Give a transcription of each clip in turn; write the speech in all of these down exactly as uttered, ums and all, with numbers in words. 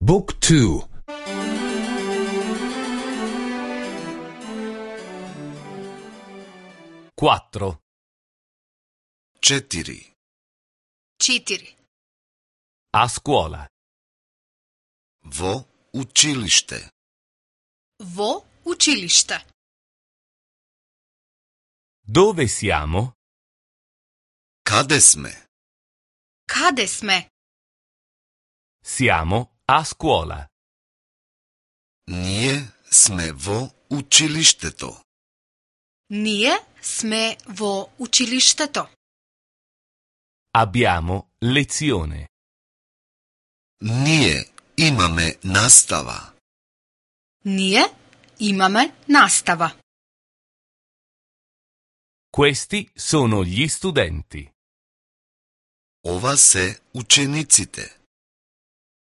Book two. quattro. Четири. Четири. A scuola. Во училиште. Во училиште. Dove siamo? Каде сме? Каде сме? Siamo a scuola. Ние сме во училиштето. Ние сме во училиштето. Abbiamo lezione. Ние имаме настава. Ние имаме настава. Questi sono gli studenti. Ова се учениците.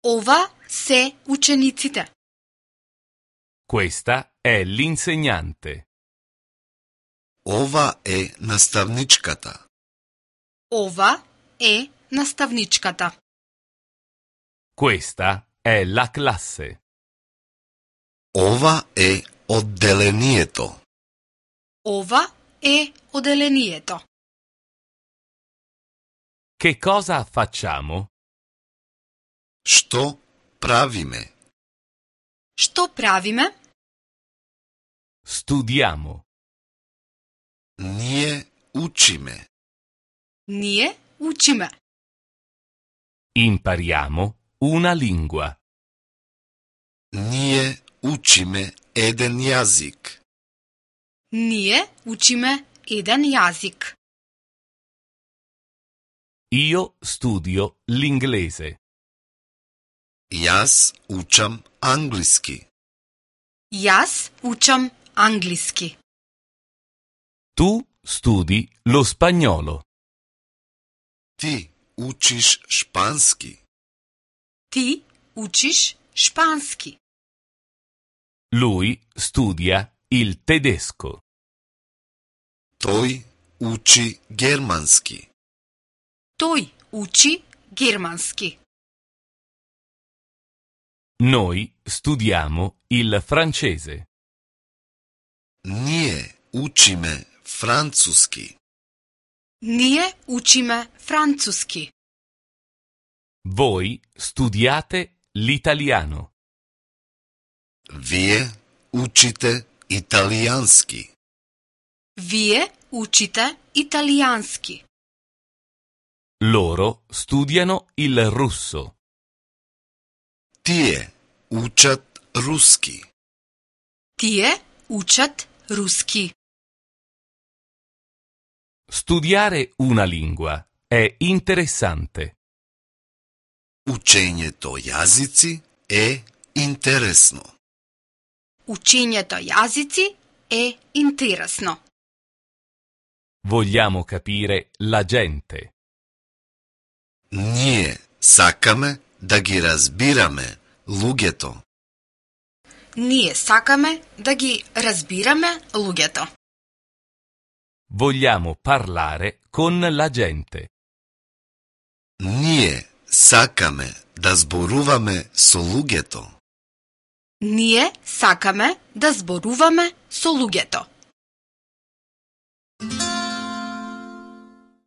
Ова се учениците. Questa è l'insegnante. Ова е наставничката. Ова е наставничката. Questa è la classe. Ова е одделението. Ова е оделението. Che cosa facciamo? Што правиме? Што правиме? Studiamo. Ние учиме. Ние учиме. Impariamo una lingua. Ние учиме еден јазик. Ние учиме еден јазик. Io studio l'inglese. Јас учам англиски. Јас учам англиски. Tu studi lo spagnolo. Ти учиш шпански. Ти учиш шпански. Lui studia il tedesco. Тој учи германски. Тој учи германски. Noi studiamo il francese. Ние учиме француски. Ние учиме француски. Voi studiate l'italiano. Вие учите италијански. Вие учите италијански. Loro studiano il russo. Тие учат руски. Тие учат руски. Studiare una lingua è interessante. Учењето јазици е интересно. Учењето јазици е интересно. Vogliamo capire la gente. Ние сакаме да ги разбираме луѓето. Ние сакаме да ги разбираме луѓето. Vogliamo parlare con la gente. Ние сакаме да зборуваме со луѓето. Ние сакаме да зборуваме со луѓето.